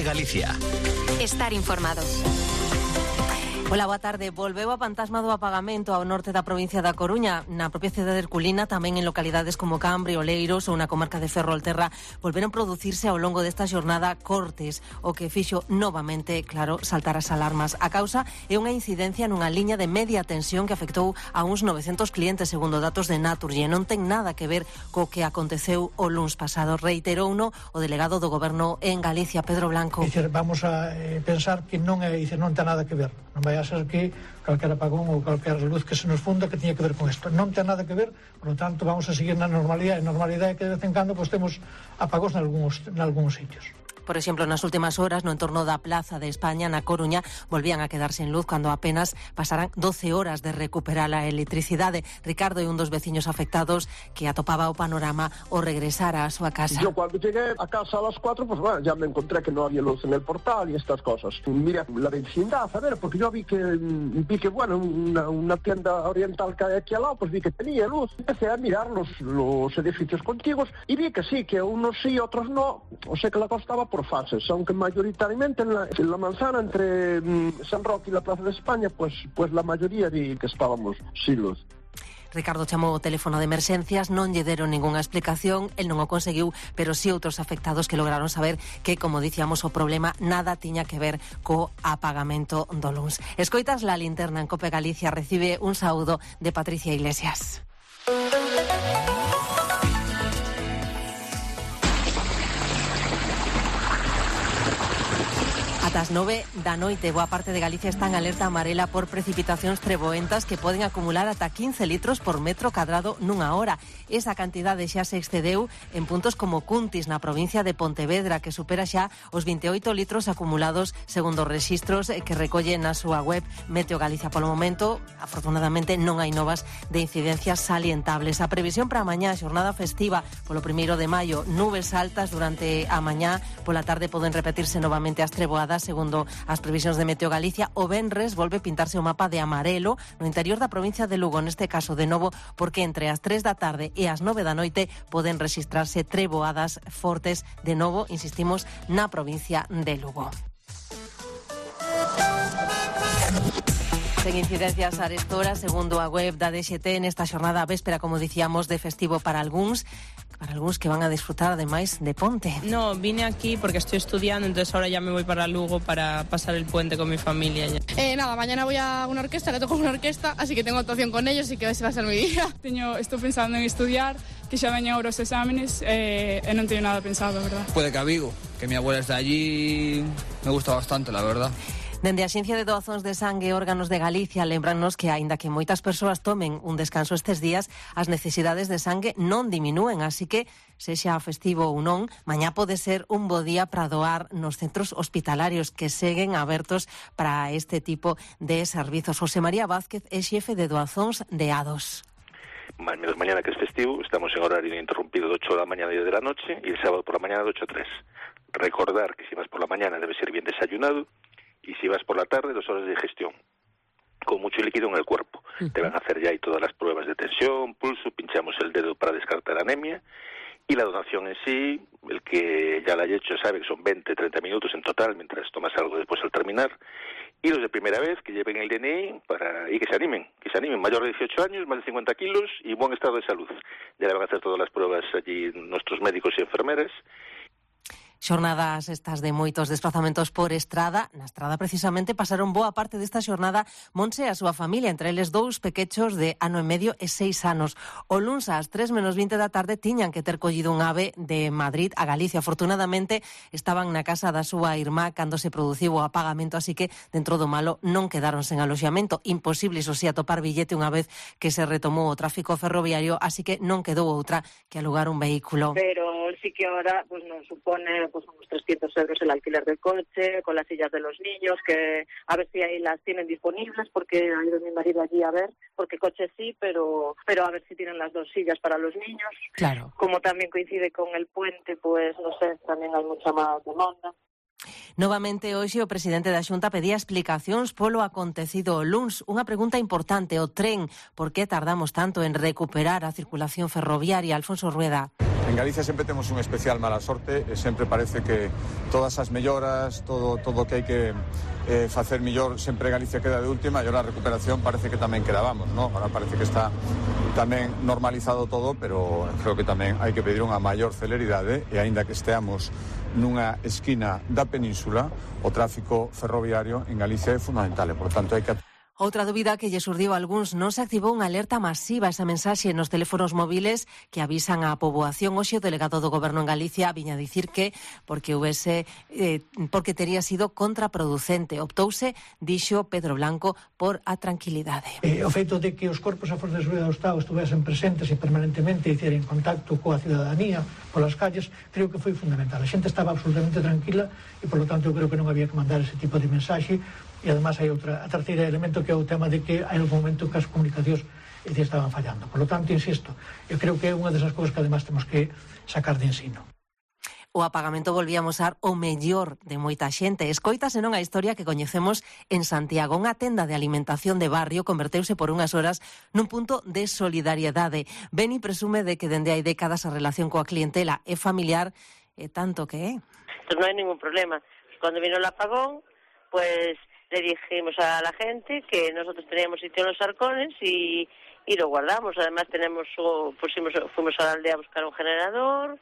COPE Galicia. Estar informado. Ola, boa tarde. Volveu a fantasma do apagamento ao norte da provincia da Coruña. Na propia cidade de Herculina, tamén en localidades como Cambre, Oleiros ou na comarca de Ferrolterra, volveron producirse ao longo desta xornada cortes, o que fixo novamente, claro, saltar as alarmas. A causa é unha incidencia nunha liña de media tensión que afectou a uns 900 clientes, segundo datos de Naturgy. Non ten nada que ver co que aconteceu o luns pasado. Reiterouno o delegado do Goberno en Galicia, Pedro Blanco. Vamos a pensar que non ten nada que ver. Non vai a ser que calquer apagón ou calquer luz que se nos funda que tiña que ver con isto. Non ten nada que ver, por lo tanto vamos a seguir na normalidade. A normalidade é que de vez en cando temos apagóns nalgúns sitios. Por exemplo, nas últimas horas, no entorno da Plaza de España, na Coruña, volvían a quedar sen luz cando apenas pasaran 12 horas de recuperar a electricidade. Ricardo é un dos veciños afectados que atopaba o panorama ao regresar á súa casa. Yo cuando llegué a casa a las 4, pues bueno, ya me encontré que no había luz en el portal y estas cosas. Mira la vecindad, a ver, porque yo vi que bueno, una tienda oriental que hay aquí al lado, pues vi que tenía luz. Empecé a mirar los edificios contiguos y vi que sí, que unos sí, otros no. O sea que la cosa estaba por fases, aunque mayoritariamente en la manzana entre San Roque y la Plaza de España, pues la mayoría vi que estábamos sin luz. Ricardo chamou o teléfono de emerxencias, non lle deron ningunha explicación, el non o conseguiu, pero sí outros afectados que lograron saber que, como dicíamos, o problema nada tiña que ver co apagamento do luns. Escoitas La Linterna en COPE Galicia, recibe un saúdo de Patricia Iglesias. Ata as 9 da noite, boa parte de Galicia está en alerta amarela por precipitacións treboentas que poden acumular ata 15 litros por metro cadrado nunha hora. Esa cantidade xa se excedeu en puntos como Cuntis, na provincia de Pontevedra, que supera xa os 28 litros acumulados segundo os rexistros que recolle na súa web Meteo Galicia. Polo momento, afortunadamente, non hai novas de incidencias salientables. A previsión para a mañá, xornada festiva polo 1 de maio, nubes altas durante a mañá, pola tarde poden repetirse novamente as treboadas segundo as previsións de Meteo Galicia. O venres volve pintarse o mapa de amarelo no interior da provincia de Lugo, neste caso de novo porque entre as 3 da tarde e as 9 da noite poden rexistrarse treboadas fortes de novo, insistimos, na provincia de Lugo. Sen incidencias arestora, segundo a web da DXT, nesta xornada véspera, como dicíamos, de festivo para algúns que van a disfrutar ademais de ponte. No, vine aquí porque estoy estudiando, entonces ahora ya me voy para Lugo para pasar el puente con mi familia. Nada, mañana voy a una orquesta, que toco una orquesta, así que tengo actuación con ellos y que ese va a ser mi día. Estou pensando en estudiar, que xa veñen ahora os exámenes e non teño nada pensado, verdad? Puede que a Vigo, que mi abuela está allí, me gusta bastante, la verdad. Dende a Axencia de Doazóns de Sangue e Órganos de Galicia lembrannos que, aínda que moitas persoas tomen un descanso estes días, as necesidades de sangue non diminúen, así que, sexa festivo ou non, mañá pode ser un bo día para doar nos centros hospitalarios que seguen abertos para este tipo de servizos. José María Vázquez é xefe de Doazóns de Ados. Menos mañana que es festivo, estamos en horario interrumpido de 8 de la mañana a 10 de la noche y el sábado por la mañana de 8 a 3. Recordar que si vas por la mañana debe ser bien desayunado y si vas por la tarde 2 horas de digestión con mucho líquido en el cuerpo. Te van a hacer ya ahí todas las pruebas de tensión, pulso, pinchamos el dedo para descartar anemia y la donación en sí, el que ya la haya hecho sabe que son 20-30 minutos en total mientras tomas algo después al terminar. Y los de primera vez que lleven el DNI y que se animen, mayor de 18 años, más de 50 kilos y buen estado de salud. Ya le van a hacer todas las pruebas allí nuestros médicos y enfermeras. Xornadas estas de moitos desplazamentos por estrada. Na estrada, precisamente, pasaron boa parte desta xornada Monse e a súa familia, entre eles 2 pequechos de ano e medio e 6 anos. O luns ás 3:20 da tarde tiñan que ter collido un ave de Madrid a Galicia. Afortunadamente, estaban na casa da súa irmá cando se produciu o apagamento, así que, dentro do malo, non quedaron sen aloxamento. Imposible, iso si, atopar billete unha vez que se retomou o tráfico ferroviario, así que non quedou outra que alugar un vehículo. Pero sí que ahora pues nos supone pues unos 300 euros el alquiler del coche, con las sillas de los niños, que a ver si ahí las tienen disponibles, porque ha ido mi marido allí a ver, porque coche sí, pero a ver si tienen las 2 sillas para los niños. Claro. Como también coincide con el puente, pues no sé, también hay mucha más demanda. Novamente hoxe o presidente da Xunta pedía explicacións polo acontecido o luns. Unha pregunta importante, o tren, por que tardamos tanto en recuperar a circulación ferroviaria? Alfonso Rueda. En Galicia sempre temos un especial mala sorte e sempre parece que todas as melloras, todo o que hai que facer mellor, sempre Galicia queda de última e ahora a recuperación parece que tamén quedábamos, ¿no? Ahora parece que está tamén normalizado todo, pero creo que tamén hai que pedir unha maior celeridade e aínda que esteamos nunha esquina da península, o tráfico ferroviario en Galicia é fundamental e, por tanto, hai que... Outra dúbida que lle surdiu a algúns, non se activou unha alerta masiva, esa mensaxe nos teléfonos móviles que avisan á poboación. Hoxe o delegado do Goberno en Galicia viña a dicir que porque tería sido contraproducente. Optouse, dixo Pedro Blanco, por a tranquilidade. O feito de que os corpos a Forzas de Seguridade do Estado estuvesen presentes e permanentemente hicieran contacto coa cidadanía polas calles, creo que foi fundamental. A xente estaba absolutamente tranquila e, por lo tanto, eu creo que non había que mandar ese tipo de mensaxe. E, además, hai a terceira elemento que é o tema de que hai algún momento que as comunicacións estaban fallando. Por lo tanto, insisto, eu creo que é unha desas cousas que, además, temos que sacar de ensino. O apagamento volvía a mostrar o mellor de moita xente. Escoítase non a historia que coñecemos en Santiago. Unha tenda de alimentación de barrio converteuse por unhas horas nun punto de solidariedade. Beni presume de que dende hai décadas a relación coa clientela é familiar e tanto que é. Pues non hai ningún problema. Cuando vino el apagón, pues le dijimos a la gente que nosotros teníamos sitio en los arcones y lo guardamos. Además fuimos a la aldea a buscar un generador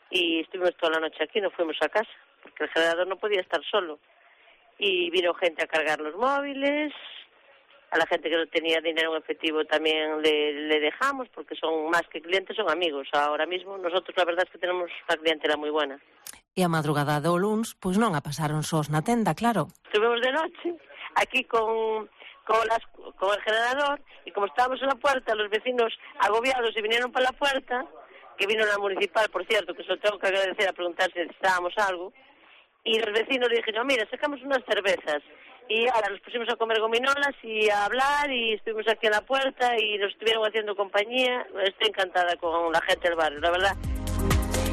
y estuvimos toda la noche aquí, no fuimos a casa, porque el generador no podía estar solo. Y vino gente a cargar los móviles, a la gente que no tenía dinero en efectivo también le dejamos, porque son más que clientes, son amigos. Ahora mismo nosotros la verdad es que tenemos una clientela muy buena. E a madrugada do luns, pois non a pasaron sós na tenda, claro. Estuvimos de noche aquí con el generador y como estábamos en la puerta, los vecinos agobiados y vinieron para la puerta, que vino la municipal, por cierto, que se lo tengo que agradecer a preguntar si necesitábamos algo, y los vecinos le dijeron, mira, sacamos unas cervezas. Y ahora nos pusimos a comer gominolas y a hablar y estuvimos aquí en la puerta y nos estuvieron haciendo compañía. Estoy encantada con la gente del barrio, la verdad.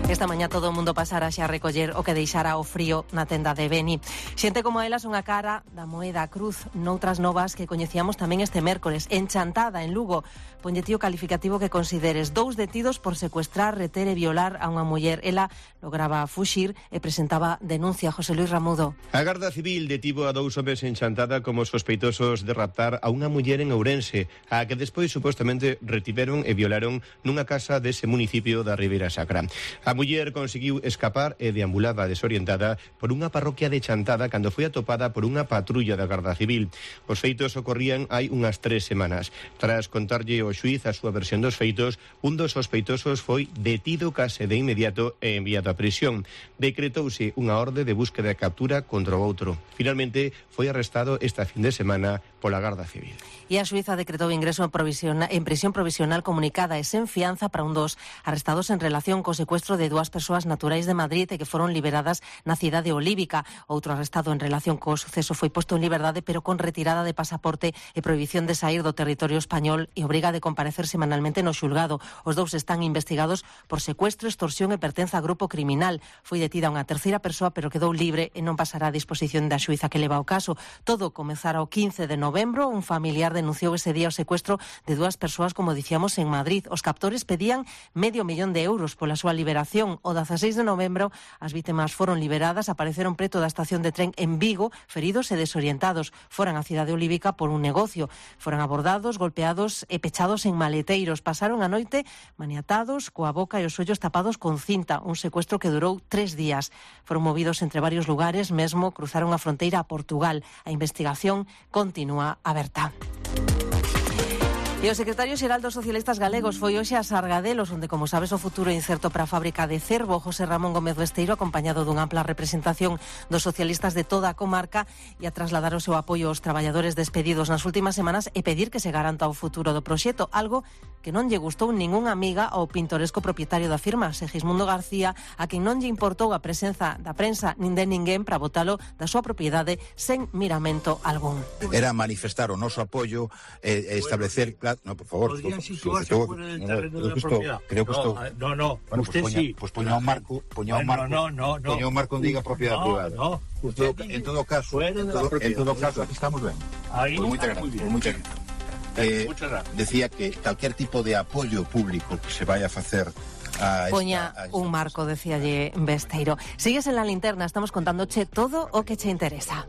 Esta mañá todo o mundo pasara xa a recoller o que deixara o frío na tenda de Beni. Xente como ela son a cara da moeda cruz. Noutras novas que coñecíamos tamén este mércores, en Chantada, en Lugo. Ponlle ti o calificativo que consideres. 2 detidos por secuestrar, reter e violar a unha muller. Ela lograba fuxir e presentaba denuncia. José Luis Ramudo. A Garda Civil detivo a 2 homes en Chantada como sospeitosos de raptar a unha muller en Ourense, a que despois supostamente retiveron e violaron nunha casa dese municipio da Ribeira Sacra. A muller conseguiu escapar e deambulaba desorientada por unha parroquia de Chantada cando foi atopada por unha patrulla da Garda Civil. Os feitos ocorrían hai unhas 3 semanas. Tras contarlle ao xuíz a súa versión dos feitos, un dos sospeitosos foi detido case de inmediato e enviado a prisión. Decretouse unha orde de búsqueda e captura contra o outro. Finalmente, foi arrestado esta fin de semana pola Garda Civil. E a xuíza decretou ingreso en prisión provisional comunicada e sen fianza para un dos arrestados en relación co secuestro de 2 persoas naturais de Madrid e que foron liberadas na cidade olívica. Outro arrestado en relación co suceso foi posto en liberdade pero con retirada de pasaporte e prohibición de sair do territorio español e obriga de comparecer semanalmente no xulgado. Os 2 están investigados por secuestro, extorsión e pertenza a grupo criminal. Foi detida unha terceira persoa pero quedou libre e non pasará a disposición da xuíza que leva o caso. Todo comezara o 15 de novembro. Un familiar denunciou ese día o secuestro de 2 persoas, como dicíamos, en Madrid. Os captores pedían €500.000 pola súa liberación. O 16 de novembro as vítimas foron liberadas, apareceron preto da estación de tren en Vigo, feridos e desorientados. Foran á cidade olívica por un negocio. Foran abordados, golpeados e pechados en maleteiros. Pasaron a noite maniatados, coa boca e os ollos tapados con cinta. Un secuestro que durou 3 días. Foron movidos entre varios lugares, mesmo cruzaron a fronteira a Portugal. A investigación continúa aberta. E o secretario xeral dos socialistas galegos foi hoxe a Sargadelos, onde, como sabes, o futuro é incerto para a fábrica de Cervo. José Ramón Gómez Besteiro, acompañado dunha ampla representación dos socialistas de toda a comarca, e a trasladar o seu apoio aos traballadores despedidos nas últimas semanas e pedir que se garanta o futuro do proxecto, algo que non lle gustou ningunha amiga ao pintoresco propietario da firma, Segismundo García, a quen non lle importou a presenza da prensa nin de ninguén para botalo da súa propiedade sen miramento algún. Era manifestar o noso apoio e establecer... No, por favor. Podrían situarse fuera del terreno de la propiedad. Creo que esto... No. Bueno, usted sí. Pues poña un marco. Poña un marco en diga propiedad privada. No. En todo caso, aquí estamos ben. Ahí muchas gracias. Decía que calquer tipo de apoio público que se vaya a facer Poña un marco, decíalle Besteiro. Sigues en La Linterna, estamos contándoche todo o que che interesa.